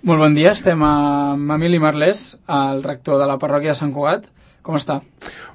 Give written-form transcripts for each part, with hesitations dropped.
Molt bon dia, estem amb Emili Marlès, el rector de la parròquia de Sant Cugat. Com està?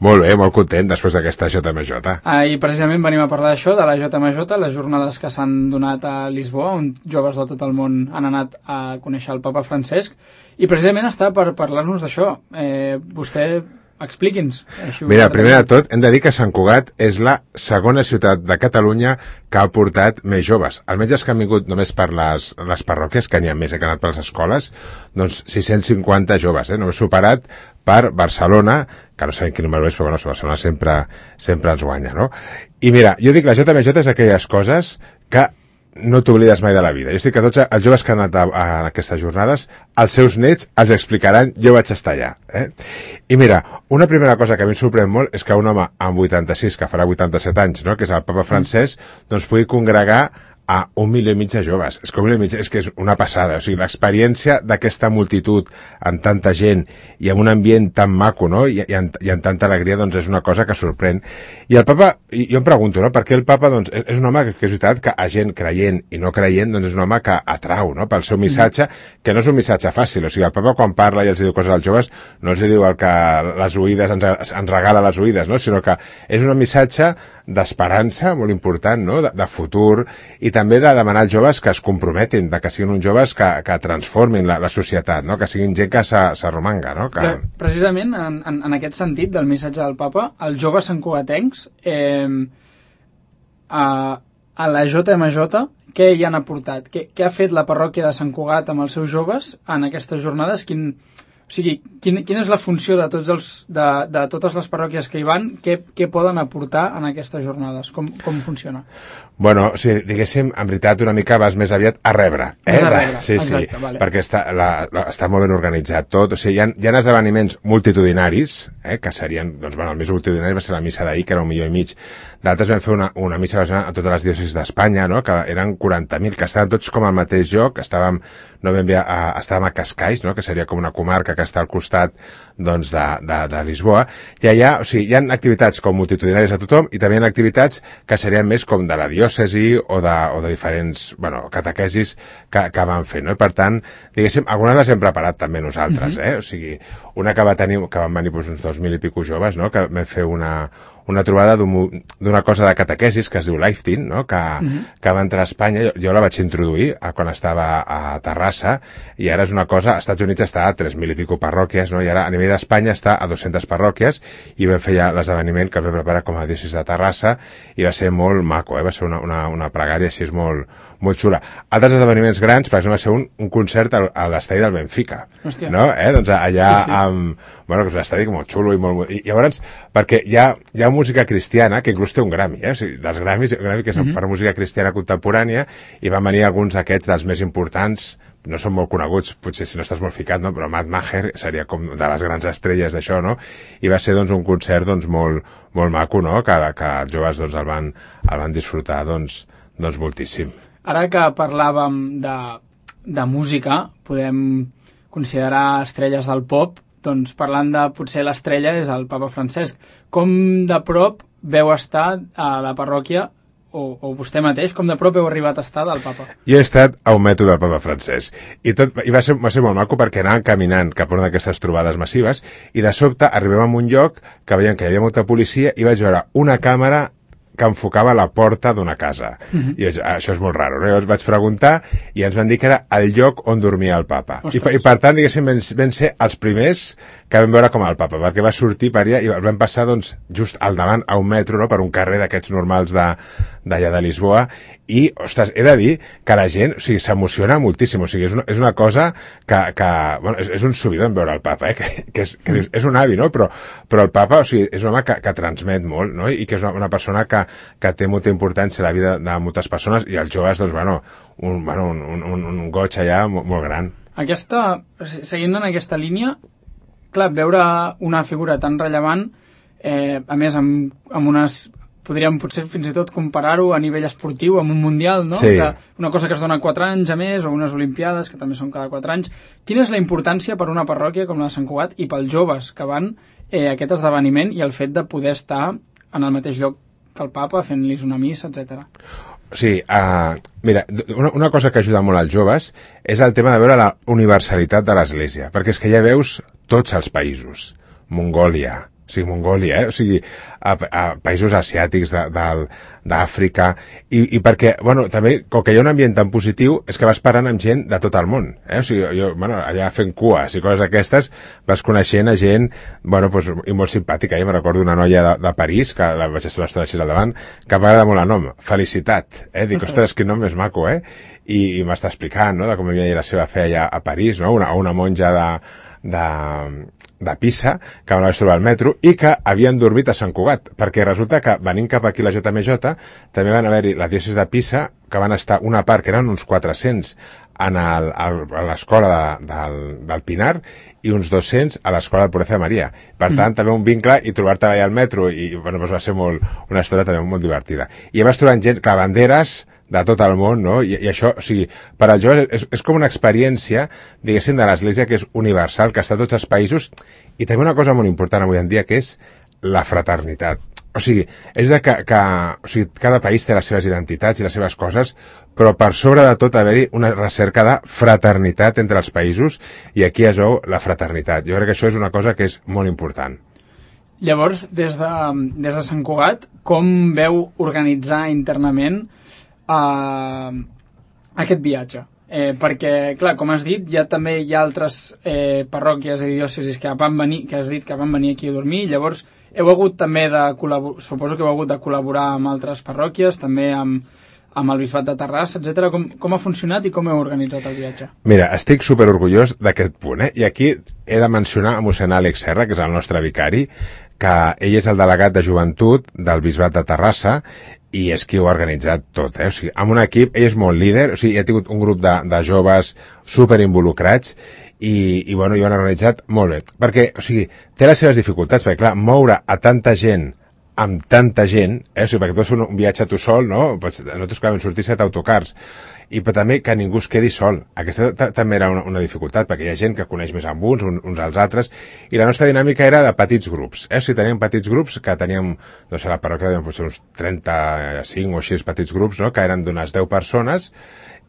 Molt bé, molt content després d'aquesta JMJ. I precisament venim a parlar d'això, de la JMJ, les jornades que s'han donat a Lisboa, on joves de tot el món han anat a conèixer el papa Francesc, i precisament està per parlar-nos d'això. Vostè, expliqui'ns. Mira, primer de tot, hem de dir que Sant Cugat és la segona ciutat de Catalunya que ha portat més joves. Almenys els que han vingut només per les parròquies, que n'hi ha més que han anat per les escoles, doncs 650 joves, només superat per Barcelona, que no sabem quin número és, però bueno, Barcelona sempre ens guanya, no? I mira, jo dic, la JMJ és aquelles coses que no t'oblides mai de la vida. Jo estic que tots els joves que han anat a aquestes jornades, els seus nets els explicaran, jo vaig estar allà. I mira, una primera cosa que a mi em sorprèn molt és que un home amb 86, que farà 87 anys, no?, que és el papa Francesc, doncs pugui congregar a 1,5 milió de joves. És que 1,5 milió és que és una passada. O sigui, l'experiència d'aquesta multitud amb tanta gent i amb un ambient tan maco, no?, i amb tanta alegria, doncs és una cosa que sorprèn. I el papa, jo em pregunto, no?, per què el papa, doncs, és un home que és veritat que a gent creient i no creient, doncs és un home que atrau, no?, pel seu missatge, que no és un missatge fàcil. O sigui, el papa quan parla i els diu coses als joves, no els diu el que les oïdes ens regala les oïdes, no?, sinó que és un missatge d'esperança molt important, no?, de futur, i també de demanar als joves que es comprometin, que siguin uns joves que transformin la societat, no?, que siguin gent que s'arromanga, no? Precisament en aquest sentit del missatge del papa, els joves santcugatencs a la JMJ, què hi han aportat? Què ha fet la parròquia de Sant Cugat amb els seus joves en aquestes jornades? Quina és la funció de totes les parròquies que hi van? Què poden aportar en aquestes jornades? Com funciona? Bueno, sí, diguéssim, en veritat una mica vas més aviat a rebre. Més a rebre, sí, exacte, sí, vale. Perquè està molt ben organitzat tot. O sigui, hi ha esdeveniments multitudinaris, que serien, doncs, bueno, el més multitudinari va ser la missa d'ahir, que era 1,5 milió. D'altres vam fer una missa a totes les diòcesis d'Espanya, no?, que eren 40.000, que estaven tots com al mateix lloc, estàvem a Cascais, no?, que seria com una comarca que està al costat, doncs, de Lisboa, i allà, o sigui, hi ha activitats com multitudinàries a tothom, i també hi ha activitats que serien més com de la diòcesi o de diferents, bueno, catequesis que van fer, no? I per tant, diguéssim, algunes les hem preparat també nosaltres, O sigui, una que van venir uns 2.000 i pico joves, no?, que vam fer una trobada d'una cosa de catequesis que es diu Lifting, no?, que va entrar a Espanya. Jo la vaig introduir quan estava a Terrassa, i ara és una cosa, als Estats Units està a 3.000 i pico parròquies, no?, i ara a nivell d'Espanya està a 200 parròquies, i vam fer ja l'esdeveniment que es va preparar com a diòcesi de Terrassa, i va ser molt maco, va ser una pregària així molt xula. Altres esdeveniments grans, per exemple, va ser un concert a l'estadi del Benfica. Hòstia. No? Doncs allà, sí. Bueno, que és un estadi molt xulo i llavors, perquè hi ha música cristiana que inclús té un Grammy, o sigui, dels Grammys, que és per música cristiana contemporània, i van venir alguns d'aquests dels més importants, no són molt coneguts, potser si no estàs molt ficat, no?, però Matt Maher seria com de les grans estrelles d'això, no?, i va ser, doncs, un concert, doncs, molt maco, no?, que els joves, doncs, el van disfrutar, doncs, moltíssim. Ara que parlàvem de música, podem considerar estrelles del pop, doncs parlant de potser l'estrella és el papa Francesc. Com de prop veu estar a la parròquia, o vostè mateix, com de prop heu arribat a estar del papa? Jo he estat a un metro del papa Francesc, i va ser molt maco perquè anàvem caminant cap a una d'aquestes trobades massives, i de sobte arribem a un lloc que veiem que hi havia molta policia, i vaig veure una càmera que enfocava la porta d'una casa. I això és molt raro, no? Llavors vaig preguntar i ens van dir que era el lloc on dormia el papa. I per tant, diguéssim, vam ser els primers que vam veure com el papa, perquè va sortir per allà i el vam passar, doncs, just al davant, a un metro, no?, per un carrer d'aquests normals d'allà de Lisboa, i, ostres, he de dir que la gent, o sigui, s'emociona moltíssim, o sigui, és una cosa que bueno, és un subidon veure el papa, que és un avi, no?, però el papa, o sigui, és un home que transmet molt, no?, i que és una persona que té molta importància a la vida de moltes persones, i els joves, doncs, un goig allà molt gran. Seguint en aquesta línia, clar, veure una figura tan rellevant, a més amb unes, podríem potser fins i tot comparar-ho a nivell esportiu amb un mundial, no? Sí. Una cosa que es dona 4 anys a més, o unes olimpiades que també són cada 4 anys. Quina és la importància per una parròquia com la de Sant Cugat i pels joves que van a aquest esdeveniment, i el fet de poder estar en el mateix lloc que el papa fent-los una missa, etc.? O sigui, mira, una cosa que ajuda molt als joves és el tema de veure la universalitat de l'Església, perquè és que ja veus tots els països. Mongòlia, o sigui, a països asiàtics d'Àfrica, i perquè, bueno, també, com que hi ha un ambient tan positiu, és que vas parlant amb gent de tot el món, o sigui, jo, bueno, allà fent cues i coses d'aquestes, vas coneixent a gent, bueno, pues, i molt simpàtica, jo me recordo una noia de París, que la vaig estar l'estona així al davant, que m'agrada molt el nom, Felicitat, dic, ostres, quin nom més maco, i m'està explicant, no?, de com havia la seva fe allà a París, no?, una monja de Pisa, que van trobar al metro, i que havien dormit a Sant Cugat, perquè resulta que venint cap aquí la JMJ també van haver-hi la diòcesi de Pisa, que van estar una part, que eren uns 400 a l'escola del Pinar i uns 200 a l'escola del Pureza de Maria. Per tant, també un vincle, i trobar-te allà al metro, i bueno, va ser una història també molt divertida. I vas trobant gent que banderes de tot el món, no? I això, o sigui, per als joves és com una experiència, diguéssim, de l'Església que és universal, que està a tots els països, i també una cosa molt important avui en dia, que és la fraternitat. O sigui, és de que o sigui, cada país té les seves identitats i les seves coses, però per sobre de tot haver-hi una recerca de fraternitat entre els països, i aquí es veu la fraternitat. Jo crec que això és una cosa que és molt important. Llavors, des de Sant Cugat, com veu organitzar internament aquest viatge? Perquè, clar, com has dit, també hi ha altres parròquies i diòcesis que has dit que van venir aquí a dormir, llavors heu hagut també suposo que heu hagut de col·laborar amb altres parròquies, també amb el Bisbat de Terrassa, etc. Com ha funcionat i com heu organitzat el viatge? Mira, estic superorgullós d'aquest punt, i aquí he de mencionar a mossèn Àlex Serra, que és el nostre vicari, que ell és el delegat de joventut del Bisbat de Terrassa, i és qui ho ha organitzat tot, O sigui, amb un equip, ell és molt líder, o sigui, ha tingut un grup de joves superinvolucrats, i bueno, i ho han organitzat molt bé, perquè, o sigui, té les seves dificultats, perquè clar, moure a tanta gent amb tanta gent, o sigui, perquè tu fas un viatge tu sol, no? Nosaltres vam sortir 7 autocars, i però també que ningú es quedi sol. Aquesta també era una dificultat, perquè hi ha gent que coneix més amb uns als altres, i la nostra dinàmica era de petits grups. O sigui, teníem petits grups, que teníem, doncs a la parròquia potser uns 35 o així petits grups, no?, que eren d'unes 10 persones,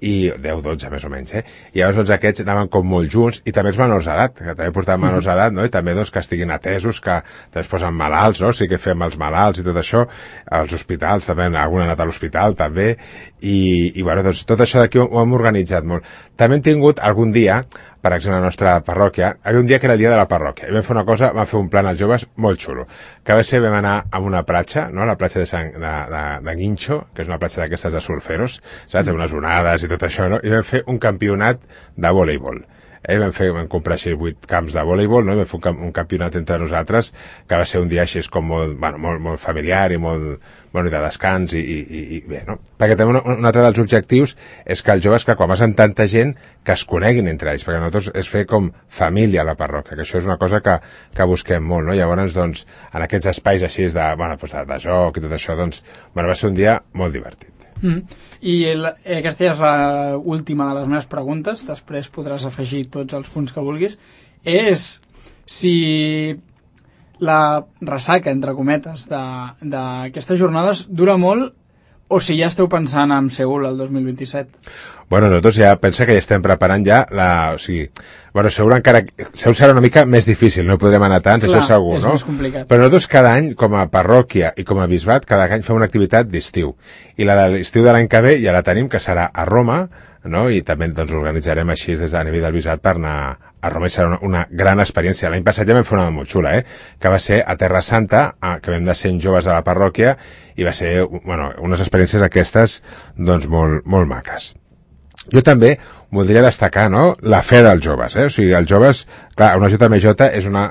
i 10-12 més o menys, I llavors doncs, aquests anaven com molt junts, i també els menors d'edat, que també portaven menors d'edat, no?, i també doncs, que estiguin atesos, que també es posen malalts, no?, sí que fem els malalts i tot això, als hospitals també, algun ha anat a l'hospital també, i bueno, doncs tot això d'aquí ho hem organitzat molt. També hem tingut algun dia, per exemple, a la nostra parròquia, hi havia un dia que era el dia de la parròquia, i vam fer una cosa, vam fer un plan als joves molt xulo, que va ser, vam anar a una platja, no?, la platja de Guincho, que és una platja d'aquestes de surferos, saps?, amb unes onades i tot això, no?, i vam fer un campionat de voleibol. Vam comprar així 8 camps de voleibol, no?, i vam fer un campionat entre nosaltres, que va ser un dia així com molt familiar i molt de descans, i bé, no? Perquè també un altre dels objectius és que els joves, que quan vas amb tanta gent, que es coneguin entre ells, perquè nosaltres és fer com família a la parròquia, que això és una cosa que busquem molt, no? Llavors, doncs, en aquests espais així de joc i tot això, doncs, va ser un dia molt divertit. I aquesta ja és l'última de les meves preguntes, després podràs afegir tots els punts que vulguis, és si la ressaca, entre cometes, d'aquestes jornades dura molt, o si ja esteu pensant en Seül el 2027. Bueno, nosaltres ja pensa que ja estem preparant ja o sigui, Seül serà una mica més difícil, no podrem anar tants, això segur, és no? Més complicat. Però nosaltres cada any, com a parròquia i com a bisbat, cada any fem una activitat d'estiu. I la de l'estiu de l'any que ve ja la tenim, que serà a Roma, no? I també doncs, organitzarem així des de nivell del bisbat per anar a Roma, i serà una gran experiència. L'any passat ja vam fer una molt xula, que va ser a Terra Santa, que vam de 100 joves de la parròquia, i va ser unes experiències aquestes doncs, molt maques. Jo també voldria destacar, no?, la fe dels joves, O sigui, els joves, clar, una JMJ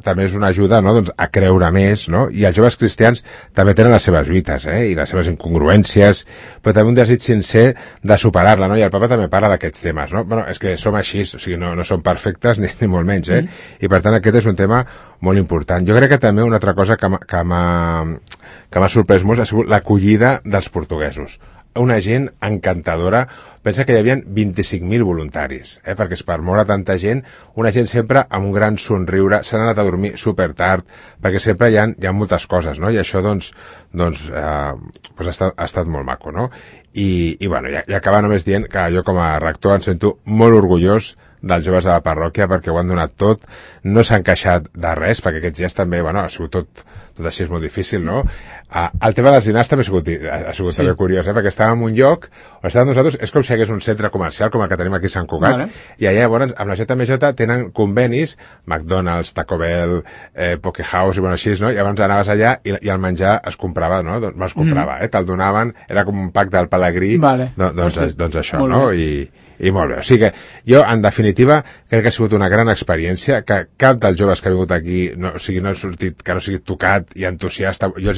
també és una ajuda, no?, doncs, a creure més, no?, i els joves cristians també tenen les seves lluites, i les seves incongruències, però també un desig sincer de superar-la, no?, i el papa també parla d'aquests temes, no? Bueno, és que som així, o sigui, no som perfectes ni molt menys, I per tant aquest és un tema molt important. Jo crec que també una altra cosa que m'ha sorprès molt ha sigut l'acollida dels portuguesos. una gent encantadora. Pensa que hi havia 25.000 voluntaris, perquè és per moure tanta gent, una gent sempre amb un gran somriure, s'han anat a dormir super tard, perquè sempre hi ha moltes coses, no? I això, doncs ha estat molt maco, no? I bueno, i acabar només dient que jo com a rector em sento molt orgullós dels joves de la parròquia perquè ho han donat tot, no s'han queixat de res, perquè aquests dies també, bueno, ha sigut tot així és molt difícil, no? El tema dels dinars també ha sigut també curiós, perquè estàvem en un lloc on estàvem nosaltres, és com si hi hagués un centre comercial com el que tenim aquí a Sant Cugat, i allà llavors amb la JMJ tenen convenis, McDonald's, Taco Bell, Pokehouse i bueno, així, no? I llavors anaves allà i el menjar es comprava, no? Doncs es comprava, te'l donaven, era com un pack del Pelegrí, doncs això, no? I molt bé, o sigui que jo en definitiva crec que ha sigut una gran experiència, que cap dels joves que ha vingut aquí no ha sortit, que no sigui tocat i entusiasta. Jo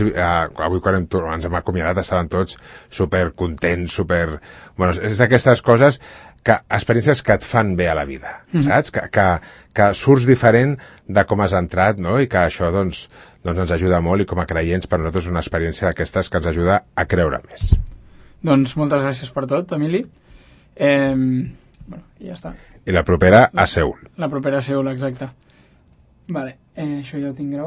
avui quan ens hem acomiadat estaven tots super contents, bueno, és d'aquestes coses experiències que et fan bé a la vida, saps? Que surts diferent de com has entrat, no? I que això doncs ens ajuda molt, i com a creients per nosaltres és una experiència d'aquestes que ens ajuda a creure més. Doncs moltes gràcies per tot, Emili. Bueno, ja està. I la propera a Seül. La propera a Seül, exacte. Vale, això ja ho tinc gravat.